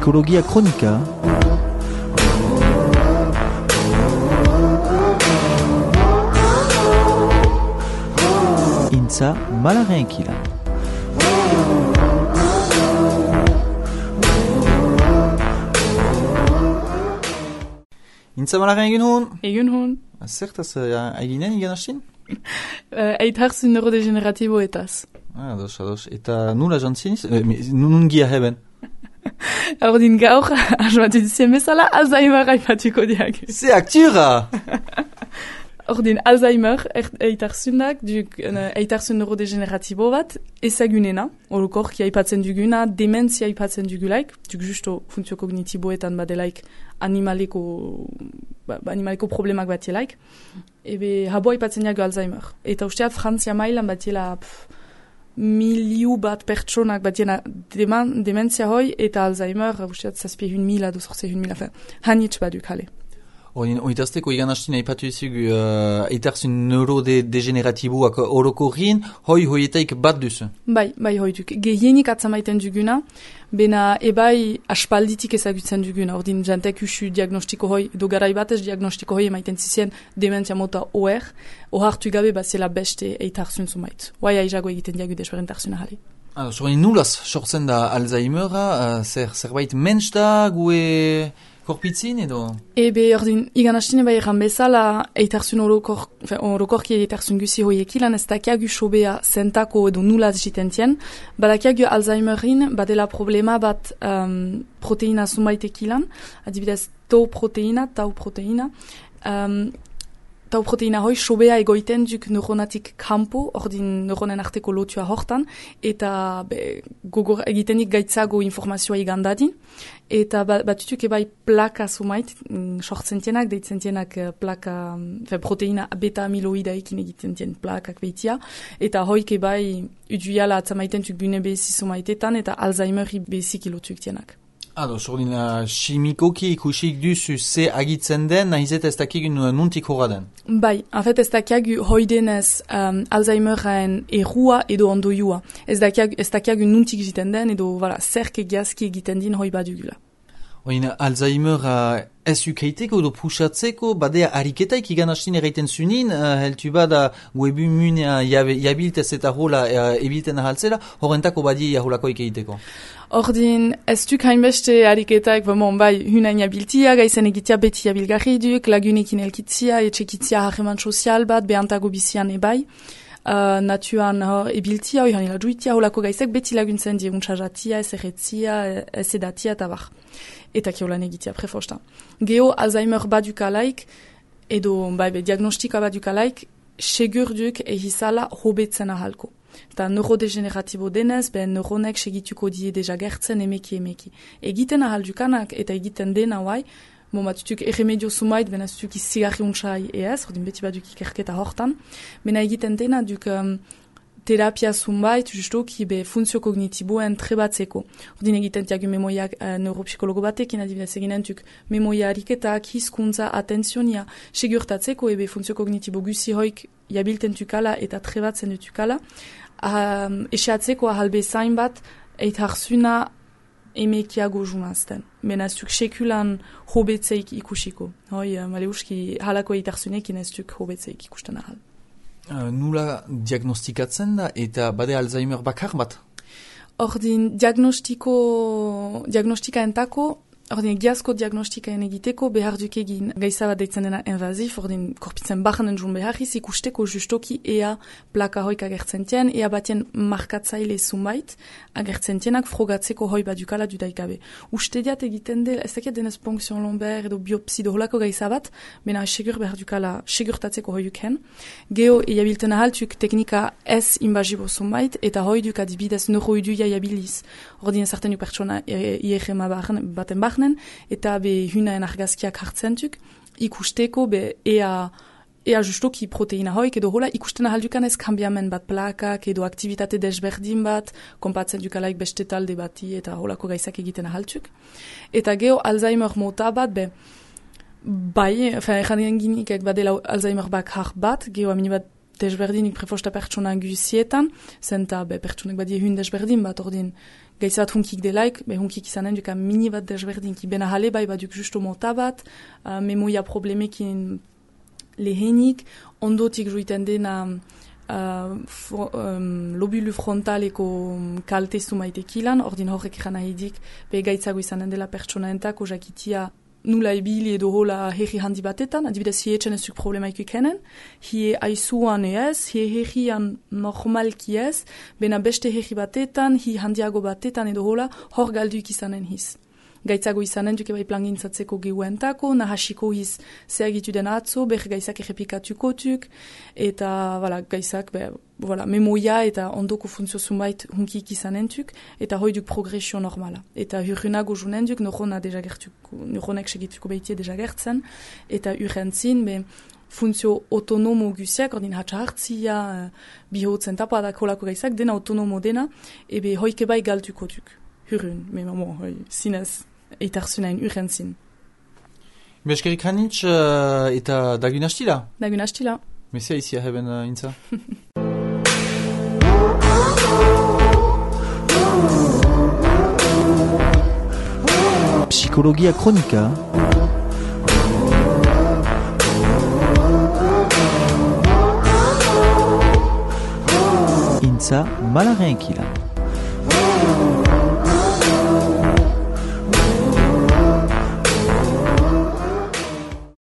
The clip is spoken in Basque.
Psikologia Kronika. Intza Malaren Kilan. Intza Malaren egin hon? Egin hon. Zertaz eginen egan hastin? Eitarzun neurodegeneratiboetaz. Ados. Eta nula jantziniz? Nun gia heben? Ordin gaur, asmatu dizien bezala, Alzheimer aipatuko diak. Ze aktura! Ordin Alzheimer eitarzunak, eitarzun neurodegeneratibo bat, ezagunena, orokorki aipatzen duguna, dementzia aipatzen dugulaik, duk justo funtzio kognitiboetan badelaik animaleko problemak batielaik, ebe habo aipatzen diago Alzheimer. Eta usteat Frantzia mailan batiela miliu bat pertsonak batiena dementzia hoi, eta Alzheimer, usteat 7.000 edo 8.000, hanitz baduk hale. Oitazteko egan hastin aipatu izugu eitarzun neurodegeneratiboak orokorrien, hoietaik bat duzu? Bai, hoi duk. Gehienik atzamaiten duguna, bena ebai aspalditik ezagutzen duguna. Ordin jantek usu diagnostiko hoi, edo garai batez diagnostiko hoi emaiten zizien dementia mota OR, ohartu gabe bazela beste eitarzun zumait. Oai aizago egiten diagu desberentarzuna jale. Zorin nulaz sortzen da Alzheimera, zerbait mensch da, gue... Korpitzin edo? Ebe, ordin, igan hastine bai erran bezala, eitarzun orokorki eitarzun guzi hoiekilan, ez dakiagu sobea zentako edo nulaz jitentien, badakiagu Alzheimerin badela problema bat proteina zumaitekilan, adibidez tau proteina, tau proteina hoi sobea egoiten duk neuronatik kampo, ordin neuronen arteko lotua hortan, eta gogor egitenik gaitzago informazioa igandadin, eta batutuk ebai plaka sumait, sortzentienak, deitzentienak plaka, proteina beta-amiloidaikin egitentien plakak behitia, eta hoik ebai uduiala atzamaiten tuk bune behezi sumaitetan, eta Alzheimeri behezik ilotuk tienak. Sordin, chimikoki ikusik duzu ze agitzen den, nahizet ez dakigun nuntik horra den? Bai, en fait ez dakiagu hoidenez Alzheimeren errua edo ondoiua. Ez dakiagu nuntik jiten den edo zerke giazki egiten din hoi badugula. Alzheimer ez ukeiteko edo pusatzeko, badea ariketaik igan hastin erraiten zunin, heltu bada webumunea jabiltez eta hola ebilten ahaltzela, horrentako badi jaholako ikeiteko. Ordin, ez duk hainbeste ariketak, bai, hunain jabiltia, gaizen egitea beti jabilgarri duk, lagunekin elkitzia, etxekitzia harreman sozial bat, behantago bizian ebai, natuan ebiltia, oihanila juitia, holako gaizek beti laguntzen die untsajatia, ez erretzia, ez edatia eta bar. Eta kiolan egitea prefosta. Geo Alzheimer badukalaik, edo diagnostika badukalaik, segur duk ehizala hobetzen ahalko. Eta neurodegeneratibo denez, neuronek segituko die deja gertzen emeki. Egiten ahal dukanak eta egiten dena guai, batutuk erremedio sumait, benazutuk izigarri untsai ez, ordin beti baduk ikerketa hortan, bena egiten dena duk terapia zumbait, justoki funtzio kognitiboen trebatzeko. Ordin egiten tiagu memoiak neuropsikologo batekin, adibidez eginen tuk memoia ariketak, hizkuntza, atenzionia, segurtatzeko funtzio kognitibo guzi hoik jabilten tukala eta trebatzen dutukala, esatzeko ahalbe zain bat eitarzuna emekiago jumazten. Benaztuk sekulan hobetzeik ikusiko. Maleuski halako eitarzunekin ez duk hobetzeik ikusten ahal. Nula diagnostikatzen da eta bade Alzheimer bakar bat? Ordin diagnostika entako, ordin giazko diagnostikaen egiteko behar duk egin gaiza bat deitzen dena invazif, ordin korpitzen bahanen jun beharriz ikusteko justoki ea plaka hoik agertzen tien, ea batien markatzaile zumait agertzen tienak frogatzeko hoi badukala dudaikabe. Ustediat egiten del, ez dakit denez ponction lomber edo biopsi doholako gaiza bat, bena segur behar dukala segurtatzeko hoiuken. Geo eabilten ahaltuk teknika ez invazibo zumait, eta hoi duk adibidez neuroiduia jabiliz. Ordin ezarten duk pertsona IRM baten eta hunaen argazkiak hartzentuk, ikusteko ea justoki proteina hoik edo hola ikusten ahaldukan ez kambiamen bat plakak edo aktivitate desberdin bat, konpatzen dukalaik beste talde bati eta holako gaizak egiten ahaltuk. Eta geo Alzheimer mota bat, bai, erran ginikek badela Alzheimer bakar bat, geo amini bat desberdinik prefosta pertsona guzietan, zenta pertsonek badie hun desberdin bat ordin gaiza bat hunkik delaik, hunkik izanen duka mini bat desberdin, ki bena jale bai baduk justo mota bat, memoia problemekin lehenik, ondotik juiten dena lobulu frontaleko kalte zumaitekilan, ordin horrek ikan ahidik, gaitzago izanen dela pertsona entako jakitia nula ebili edo hola herri handi batetan, adibidez hietzen ezuk problemaik ikenen, hie aizuan ez, hie herrian normalki ez, bena beste herri batetan, hi handiago batetan edo hola, hor galduik izanen hiz. Gaitzago izanen duke bai plangintzatzeko gehuentako, nahasiko hiz zeagitu den atzo, gaizak errepikatukotuk, eta gaizak memoia eta ondoko funtzio zunbait hunkik izanentuk, eta hoi duk progresio normala. Eta hurrenago junen duk, neuronek segituko behitie deja gertzen, eta urrentzin, funtzio autonomo guziak, ordin hatsa hartzia, bihotzen tapadak holako gaizak, dena autonomo dena, ebe hoike bai galtukotuk. Hurren, zinez, eitarzunain urrentzin. Beskerik hanitz eta dagun hastila? Dagun hastila. Mesia izia heben intza? Psikologia kronika. Intza malaren ekila.